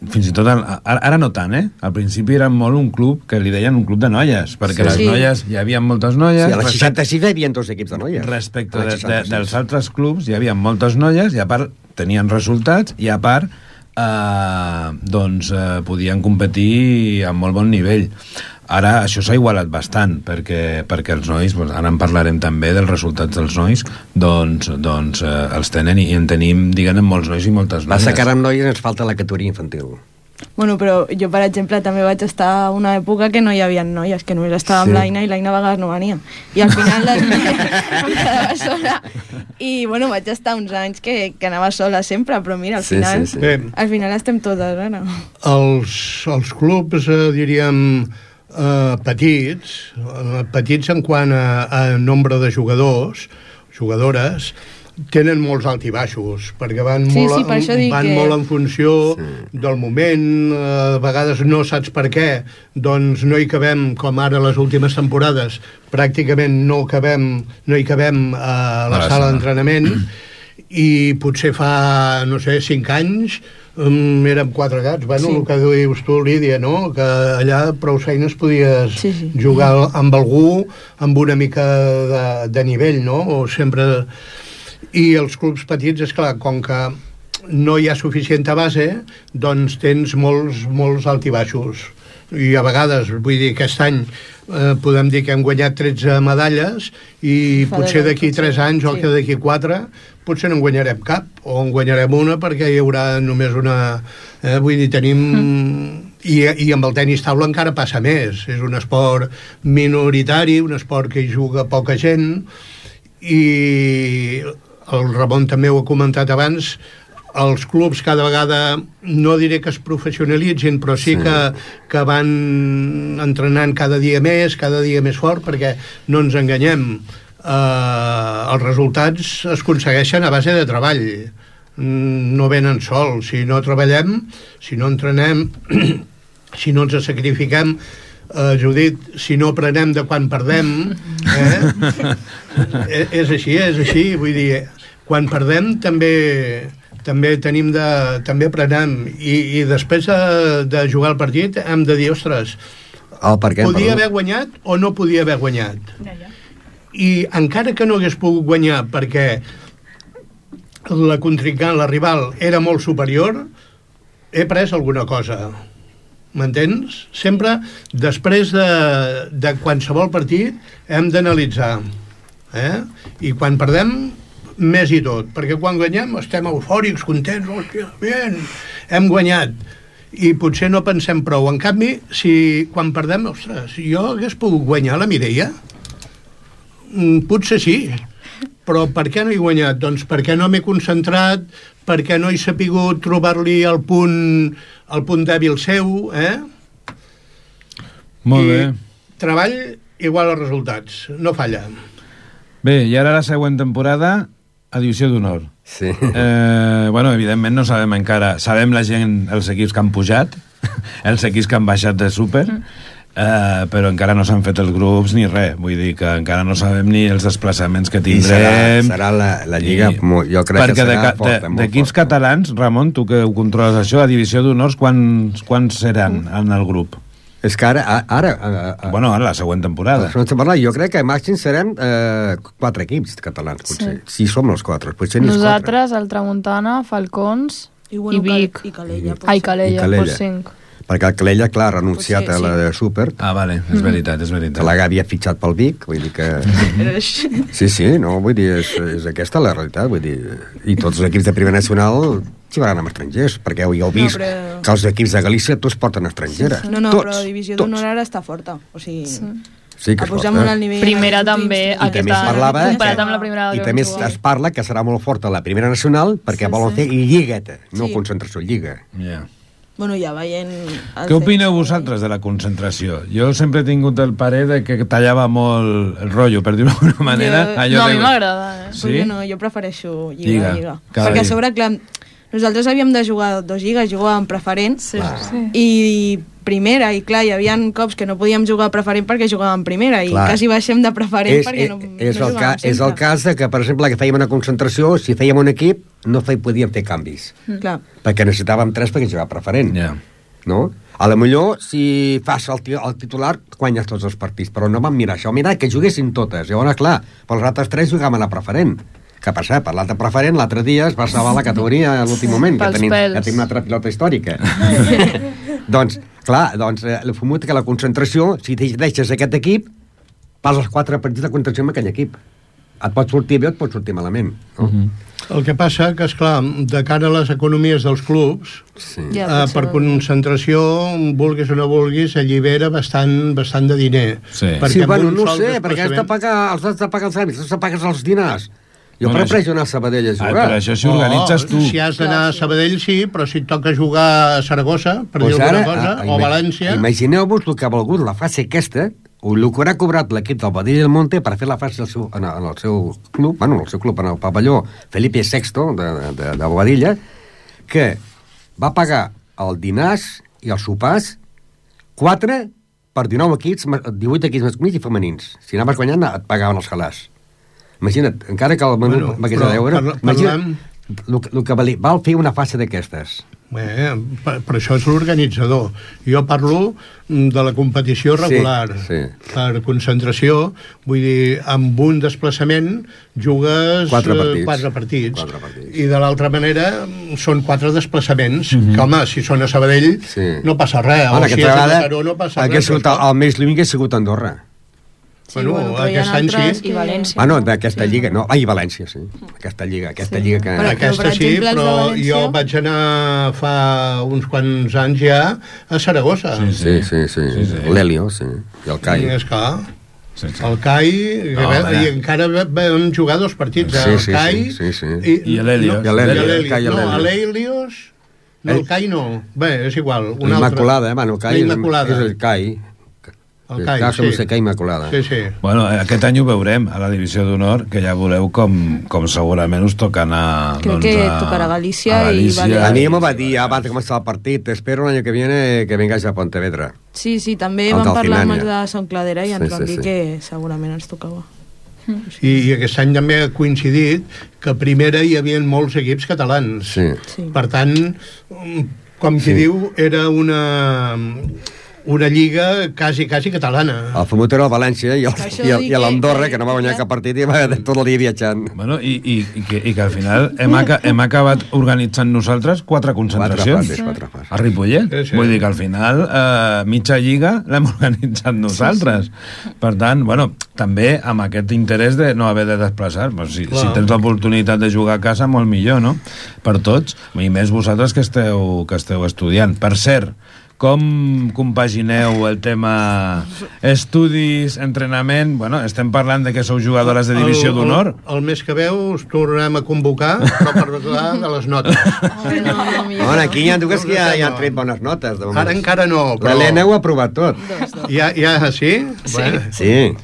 fins i tot, ara no tant, al principi era molt un club que li deien un club de noies, perquè les noies, hi havia moltes noies... Sí, a la 66 hi havia 2 equips de noies. Respecte dels altres clubs, hi havia moltes noies, i a part tenien resultats, i a part podien competir a molt bon nivell. Ara això s'ha igualat bastant, perquè els nois, ara en parlarem també dels resultats dels nois, els tenen i en tenim, diguem, molts nois i moltes noies. Passa que ara amb noies ens falta la categoria infantil. Bueno, però jo, per exemple, també vaig estar a una època que no hi havia noies, que només estava amb l'Aina, i l'Aina a vegades no venia. I al final em quedava sola. I, bueno, vaig estar uns anys que anava sola sempre, però mira, al final, al final estem totes, ara. Els clubs, diríem, petits en quant a nombre de jugadors, jugadores, tenen molts alt i baixos, perquè van molt en funció del moment, a vegades no saps per què, doncs no hi cabem, com ara les últimes temporades, pràcticament no hi cabem a la sala d'entrenament, i potser fa, no sé, 5 anys, érem 4 gats, bueno, el que dius tu, Lídia, no? Que allà prou feines podies jugar amb algú amb una mica de nivell, no? O sempre... I els clubs petits, és clar, com que no hi ha suficient base, doncs tens molts alt i baixos. I a vegades, vull dir, aquest any podem dir que hem guanyat 13 medalles i potser d'aquí 3 anys o que d'aquí 4 potser no en guanyarem cap, o en guanyarem una perquè hi haurà només una... vull dir, tenim... I amb el tenis taula encara passa més. És un esport minoritari, un esport que hi juga poca gent, i el Ramon també ho ha comentat abans, els clubs cada vegada, no diré que es professionalitzin, però sí que van entrenant cada dia més fort, perquè no ens enganyem, els resultats es aconsegueixen a base de treball, no venen sols. Si no treballem, si no entrenem, si no ens sacrifiquem, Judit, si no aprenem de quan perdem, és així, vull dir, quan perdem també tenim també aprenem, i després de jugar el partit hem de dir, ostres, podia haver guanyat o no podia haver guanyat, i encara que no hagués pogut guanyar perquè la contrincant, la rival, era molt superior, he pres alguna cosa. M'entens? Sempre, després de qualsevol partit, hem d'analitzar. I quan perdem, més i tot. Perquè quan guanyem estem eufòrics, contents, hòstia, bien, hem guanyat. I potser no pensem prou. En canvi, si quan perdem, ostres, jo hagués pogut guanyar la Mireia? Potser sí. Però per què no he guanyat? Doncs perquè no m'he concentrat, perquè no he sapigut trobar-li el punt dèbil seu, Molt bé. Treball igual als resultats, no falla. Bé, i ara la següent temporada, a Divisió d'Honor. Sí. Bueno, evidentment no sabem encara, sabem la gent, els equips que han pujat, els equips que han baixat de súper, però encara no s'han fet els grups ni res, vull dir que encara no sabem ni els desplaçaments que tindrem. I serà la Lliga, jo crec que serà forta. D'equips catalans, Ramon, tu que ho controles això, a Divisió d'Honors, quants seran en el grup? És que ara bueno, ara la següent temporada. Jo crec que màxim serem 4 equips catalans, potser. Si som els 4, potser ni els 4. Nosaltres, el Tramuntana, Falcons i Vic. I Calella. I Calella, per 5. Perquè el Calella, clar, ha renunciat a la de Súper. Vale, és veritat. Que la havia fitxat pel Vic, vull dir que... Sí, no, vull dir, és aquesta la realitat, vull dir... I tots els equips de Primera Nacional jugaran amb estrangers, perquè ja heu vist que els equips de Galícia tots porten estrangera. No, però Divisió d'Honor ara està forta, o sigui... Sí, que ha pujat molt al nivell. Primera també, comparat amb la primera. I també es parla que serà molt forta la Primera Nacional perquè volen fer lligueta, no concentració, lliga. Bueno, ja veient... Què opineu vosaltres de la concentració? Jo sempre he tingut el parer de que tallava molt el rotllo, per dir-ho d'alguna manera. No, a mi m'agrada. Sí? Jo prefereixo lliga. Perquè a sobre, clar, nosaltres havíem de jugar 2 lligues, jugàvem preferent i primera, i clar, hi havia cops que no podíem jugar preferent perquè jugàvem primera i quasi baixem de preferent perquè no jugàvem sempre. És el cas de que, per exemple, que fèiem una concentració, si fèiem un equip, no podíem fer canvis. Clar. Perquè necessitàvem 3 perquè jugava preferent. No? A lo millor, si fas el titular, guanyes tots els partits, però no vam mirar això. Mira, que juguessin totes. Llavors, clar, pels altres 3 jugaven a la preferent. Que per cert, per l'altre preferent, l'altre dia es va salvar la categoria a l'últim moment, que tenim una altra pilota històrica. Doncs, clar, el fumut que la concentració, si deixes aquest equip, pas els 4 partits de concentració amb aquell equip. Et pot sortir bé o et pot sortir malament. No? El que passa que, esclar, de cara a les economies dels clubs, per concentració, vulguis o no vulguis, allibera bastant de diner. Sí, bueno, no sé, perquè has de pagar els àmbits, has de pagar els dinars. Jo prefereixo anar a Sabadell a jugar. Per això si organitzes tu. Si has d'anar a Sabadell, sí, però si et toca jugar a Saragossa, per dir alguna cosa, o a València... Imagineu-vos el que ha volgut la fase aquesta, o el que haurà cobrat l'equip del Badell del Monte per fer la fase en el seu club, en el pavelló Felipe VI de Bobadilla, que va pagar el dinars i els sopars 4 per 19 equips, 18 equips masculins i femenins. Si anaves guanyant, et pagaven els halars. Imagina't, encara que el menú m'hagués de deure, imagina't el que val fer una fase d'aquestes. Per això és l'organitzador. Jo parlo de la competició regular. Per concentració, vull dir, amb un desplaçament jugues 4 partits. I de l'altra manera són 4 desplaçaments, que home, si són a Sabadell no passa res, o si és a Mataró no passa res. El més lluny que ha sigut Andorra. Aquest any sí. I València. Bueno, d'aquesta lliga, no? I València, sí. Aquesta lliga que... Aquesta sí, però jo vaig anar fa uns quants anys ja a Saragossa. Sí. L'Helio, sí. I el CAI. El CAI, i encara vam jugar 2 partits, el CAI i l'Helio. No, a l'Helios... No, el CAI no. Bé, és igual. L'Immaculada, el CAI és el CAI. Immaculada. Bueno, aquest any ho veurem a la divisió d'honor, que ja veureu com segurament us toca anar... Crec que tocarà Galícia i Balears. A mi m'ho va dir abans de començar el partit, espero l'any que viene que vengas a Pontevedra. Sí, també vam parlar amb els de Sant Cladera i ens van dir que segurament ens tocava. I aquest any també ha coincidit que a primera hi havia molts equips catalans. Per tant, com qui diu, era una lliga quasi catalana. El famut era el València i l'Andorra, que no va guanyar cap partit i va tot el dia viatjant. Bueno, i que al final hem acabat organitzant nosaltres 4 concentracions. 4 a Ripollet. Vull dir que al final mitja lliga l'hem organitzat nosaltres. Per tant, bueno, també amb aquest interès de no haver de desplaçar. Si tens l'oportunitat de jugar a casa, molt millor, no? Per tots. I més vosaltres que esteu estudiant. Per cert, com compagineu el tema estudis, entrenament? Bueno, estem parlant de que sou jugadores de divisió d'honor. El mes que veu us tornarem a convocar, però per parlar de les notes. Aquí hi ha dues que ja han tret bones notes. Ara encara no, però... L'Helena ho ha provat tot. Ja, sí? Sí.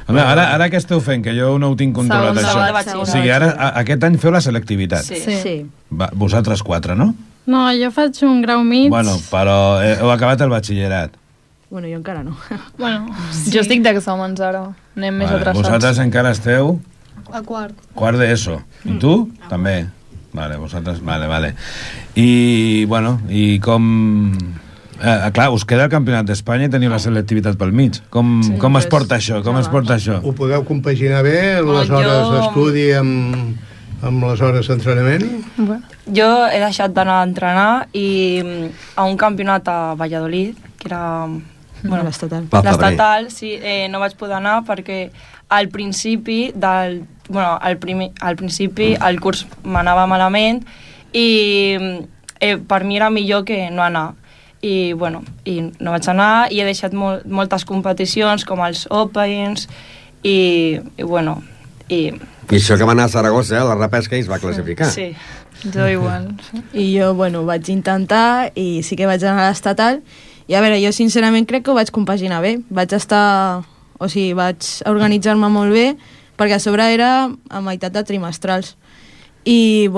Ara què esteu fent? Que jo no ho tinc controlat, això. O sigui, ara aquest any feu la selectivitat. Sí. Vosaltres 4, no? No, jo faig un grau mig. Bueno, però heu acabat el batxillerat. Bueno, jo encara no. Jo estic d'exàmens ara. Anem més atrasats. Vosaltres encara esteu... A quart. Quart d'ESO. I tu? També. Vale, vosaltres... Vale. I, bueno, i com... clar, us queda el Campionat d'Espanya i teniu la selectivitat pel mig. Com es porta això? Ho podeu compaginar bé, les hores d'estudi amb les hores d'entrenament? Jo he deixat d'anar a entrenar i a un campionat a Valladolid, que era l'estatal, sí, no vaig poder anar perquè al principi el curs m'anava malament i per mi era millor que no anar. I no vaig anar i he deixat moltes competicions com els Opens i això que va anar a Saragossa, la repesca, i es va classificar. Sí, jo igual. I jo, vaig intentar i sí que vaig anar a l'estatal i a veure, jo sincerament crec que ho vaig compaginar bé. Vaig organitzar-me molt bé perquè a sobre era a meitat de trimestrals. I,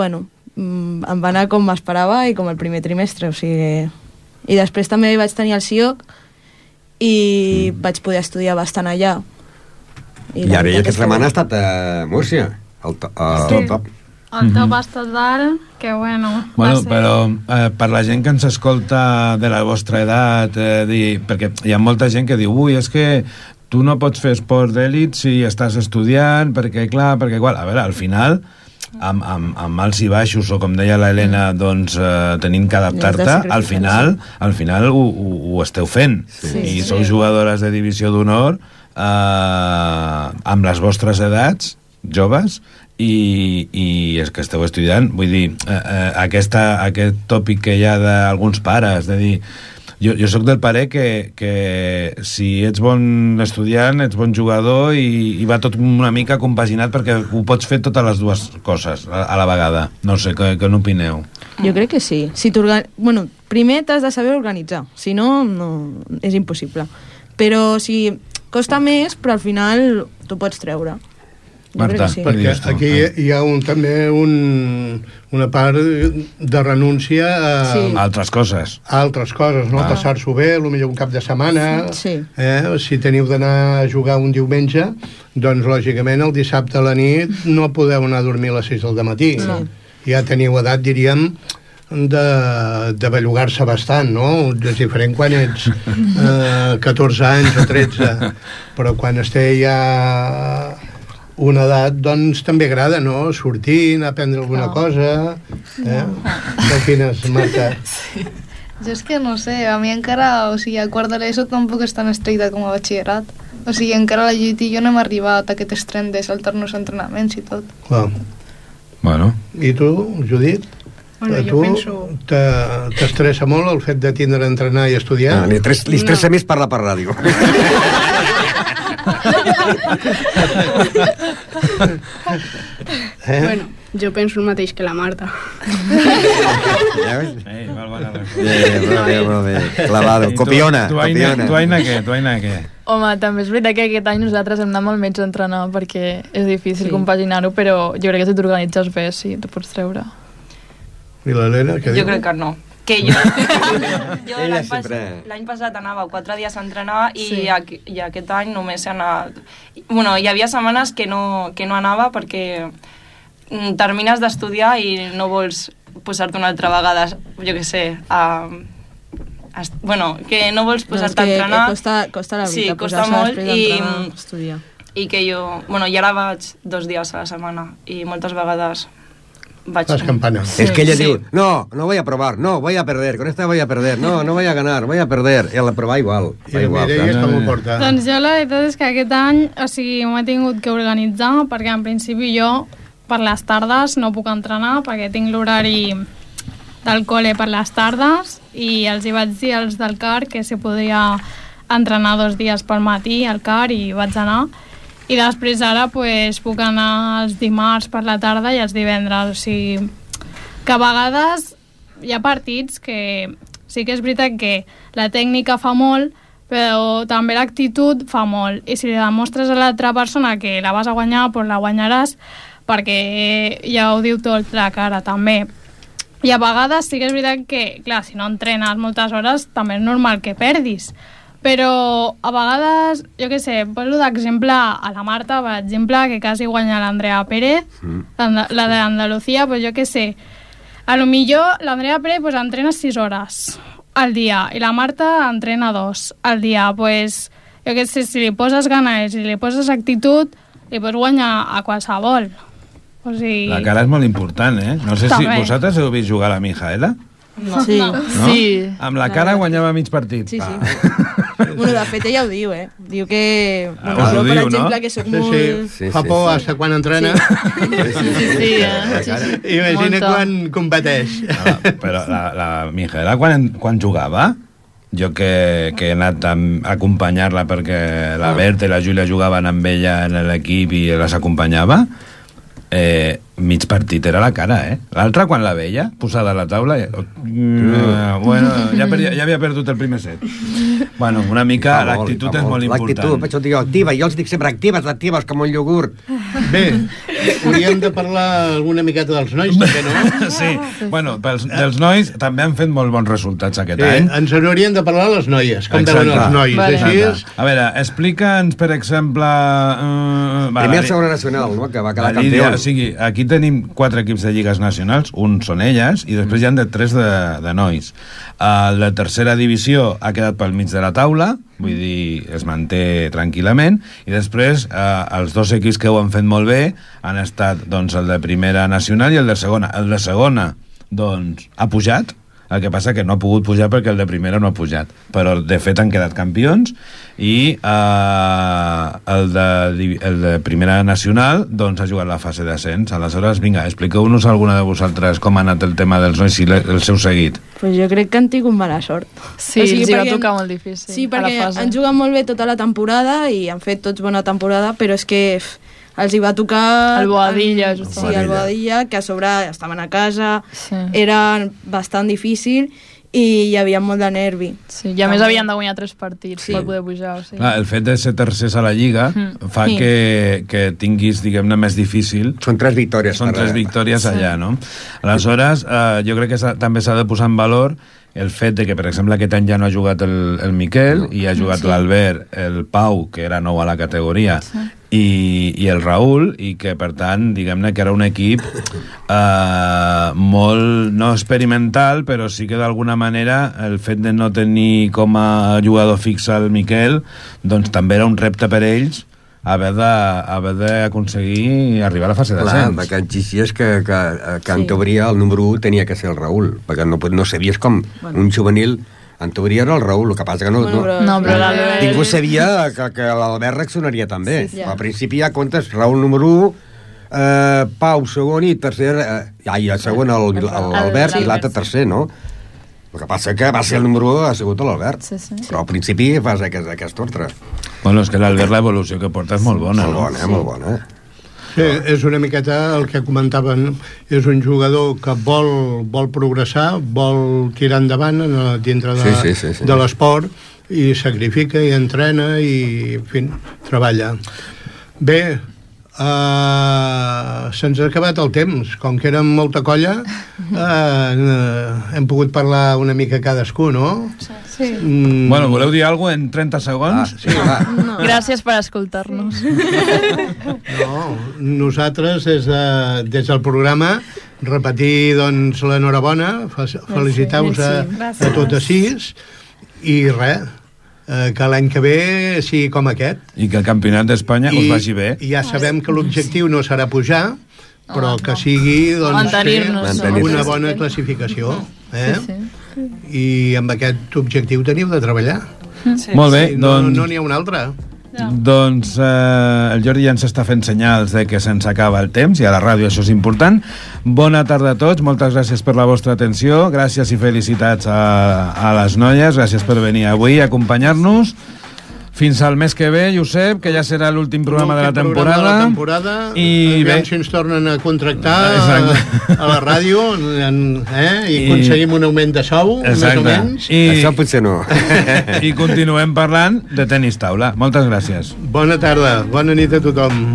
em va anar com m'esperava i com el primer trimestre, o sigui... I després també vaig tenir el CIOC i vaig poder estudiar bastant allà. I ara aquesta setmana ha estat a Múrcia, al top. El top ha estat dalt, que bueno... Bueno, però per la gent que ens escolta de la vostra edat, perquè hi ha molta gent que diu ui, és que tu no pots fer esport d'èlit si estàs estudiant, perquè clar, perquè igual... A veure, al final... amb alts i baixos o com deia l'Helena doncs tenint que adaptar-te al final ho esteu fent i sou jugadores de divisió d'honor amb les vostres edats joves i és que esteu estudiant, vull dir aquest tòpic que hi ha d'alguns pares de dir jo sóc del parer que si ets bon estudiant, ets bon jugador i va tot una mica compaginat perquè ho pots fer totes les dues coses a la vegada. No sé, què n'opineu? Jo crec que sí. Bueno, primer t'has de saber organitzar, si no, és impossible. Però costa més, però al final t'ho pots treure. Marta, sí. Perquè aquí hi ha també una part de renúncia a altres coses. No? Passar-s'ho bé, potser un cap de setmana. Sí. Si teniu d'anar a jugar un diumenge, doncs lògicament el dissabte a la nit no podeu anar a dormir a les 6 del matí. Sí. Ja teniu edat, diríem, de bellugar-se bastant, no? És diferent quan ets 14 anys o 13, però quan es té ja una edat, doncs també agrada, no? Sortir, anar a prendre alguna cosa. Què opines, Marta? Sí. Jo és que no sé, a mi encara, o sigui, a quart de l'ESO tampoc és tan estricta com a batxillerat. O sigui, encara la Judit i jo no hem arribat a aquest estrany de saltar-nos entrenaments i tot. Clar. Bueno. I tu, Judit? Bueno, tu t'estressa molt el fet de tindre a entrenar i estudiar? Li estressa més parlar per ràdio. Bueno, jo penso el mateix que la Marta. Clavado, copiona. Tu, Aina, què? Home, també és veritat que aquest any nosaltres hem anat molt menys a entrenar perquè és difícil compaginar-ho, però jo crec que si t'organitzes bé, sí, t'ho pots treure. I l'Helena, què diu? Jo crec que no. Que jo l'any passat anava 4 dies a entrenar i aquest any només he anat... Bueno, hi havia setmanes que no anava perquè termines d'estudiar i no vols posar-te una altra vegada, jo què sé, bueno, que no vols posar-te a entrenar. Costa la veritat, sí, costa molt estudiar. I que jo... Bueno, i ara vaig 2 dies a la setmana i moltes vegades... Las campanas. Es que ella diu, no voy a probar, no, voy a perder, con esta voy a perder, no voy a ganar, voy a perder. I la prova igual. I la Mireia com ho porta? Doncs jo la veritat és que aquest any, o sigui, m'he tingut que organitzar, perquè en principi jo per les tardes no puc entrenar, perquè tinc l'horari del col·le per les tardes, i els hi vaig dir als del CAR que se podia entrenar 2 dies pel matí al CAR i vaig anar. I després ara pues, puc anar els dimarts per la tarda i els divendres. O sigui, que a vegades hi ha partits que sí que és veritat que la tècnica fa molt, però també l'actitud fa molt. I si li demostres a l'altra persona que la vas a guanyar, doncs la guanyaràs, perquè ja ho diu tot la cara, també. I a vegades sí que és veritat que, clar, si no entrenes moltes hores, també és normal que perdis. Però a vegades, jo què sé, poso d'exemple a la Marta, per exemple, que quasi guanya l'Andrea Pérez, la d'Andalucía, pues jo què sé, a lo millor l'Andrea Pérez pues, entrena 6 hores al dia i la Marta entrena 2 al dia, pues jo què sé, si li poses ganes i si li poses actitud, li pots guanyar a qualsevol. O sigui... La cara és molt important, eh? No sé si vosaltres heu vist jugar a la Mijaela. No. Sí. No? Sí. Amb la cara guanyava mig partit. Sí, sí. Bueno, de fet ella ho diu, eh? Diu que... Bueno, jo, per exemple, que soc molt... Fa por hasta quan entrena. Sí. Imagina quan competeix. Però la Mijaela, quan jugava, jo que he anat a acompanyar-la perquè la Berta i la Júlia jugaven amb ella en l'equip i les acompanyava, mig partit era la cara, L'altra, quan la veia, posada a la taula, bueno, ja havia perdut el primer set. Bueno, una mica l'actitud és molt important. L'actitud, per això dic activa, jo els dic sempre actives, com un iogurt. Bé, hauríem de parlar alguna miqueta dels nois, també, no? Sí, bueno, dels nois també han fet molt bons resultats aquest any. Ens haurien de parlar les noies, com veuen els nois, així. A veure, explica'ns, per exemple... Primer segona nacional, no?, que va quedar campió. O sigui, aquí tenim 4 equips de lligues nacionals, un són elles, i després hi ha 3 de nois. La tercera divisió ha quedat pel mig de la taula, vull dir, es manté tranquil·lament, i després els 2 equips que ho han fet molt bé han estat doncs, el de primera nacional i el de segona. El de segona, doncs, ha pujat, el que passa que no ha pogut pujar perquè el de primera no ha pujat, però de fet han quedat campions, i el de primera nacional doncs ha jugat la fase d'ascens. Aleshores, vinga, expliqueu-nos alguna de vosaltres com ha anat el tema dels nois i el seu seguit. Pues jo crec que han tingut mala sort. Sí, els va tocar molt difícil. Sí, perquè han jugat molt bé tota la temporada i han fet tots bona temporada, però és que els hi va tocar... El Boadilla, justament. Sí, el Boadilla, que a sobre estaven a casa, era bastant difícil i hi havia molt de nervi. Sí, i a més havien de guanyar 3 partits per poder pujar. O sigui. El fet de ser tercers a la Lliga fa que tinguis, diguem-ne, més difícil. Són 3 victòries. Són 3 victòries allà, no? Aleshores, jo crec que també s'ha de posar en valor el fet de que, per exemple, aquest any ja no ha jugat el Miquel i ha jugat l'Albert, el Pau, que era nou a la categoria, i el Raül, i que, per tant, diguem-ne que era un equip molt, no experimental, però sí que d'alguna manera el fet de no tenir com a jugador fix el Miquel, doncs també era un repte per ells haver d'aconseguir arribar a la fase d'ascens. Clar, perquè exigies que en teoria el número 1 tenia que ser el Raül, perquè no sabies com un juvenil. En teoria era el Raül, el que passa que però ningú sabia que l'Albert reaccionaria també. Al principi ja comptes Raül número 1, Pau segon i tercer, i el segon l'Albert i l'altre tercer, no? El que passa que va ser el número 1 ha sigut l'Albert, però al principi fas aquest ordre. Bueno, és que l'Albert, l'evolució que porta és molt bona. Molt bona. Sí, és una miqueta el que comentaven, és un jugador que vol progressar, vol tirar endavant dintre de l'esport, i sacrifica i entrena i, en fi, treballa. Bé, se'ns ha acabat el temps. Com que érem molta colla, hem pogut parlar una mica cadascú, no? Sí. Bueno, voleu dir alguna cosa en 30 segons? Sí, va. No. Gràcies per escoltar-nos. No, nosaltres des del programa repetir doncs l'enhorabona, felicitar-vos a totes 6 i res, que l'any que ve sigui com aquest. I que el campionat d'Espanya us vagi bé. I ja sabem que l'objectiu no serà pujar, però que sigui doncs, una bona classificació. I amb aquest objectiu teniu de treballar. Molt bé, doncs... No n'hi ha un altre. Doncs el Jordi ja ens està fent senyals de que se'ns acaba el temps, i a la ràdio això és important. Bona tarda a tots, moltes gràcies per la vostra atenció, gràcies i felicitats a les noies, gràcies per venir avui a acompanyar-nos. Fins al mes que ve, Josep, que ja serà l'últim programa de la temporada. I veiem si ens tornen a contractar a la ràdio i aconseguim un augment de sou, més o menys. Això potser no. I continuem parlant de tenis taula. Moltes gràcies. Bona tarda, bona nit a tothom.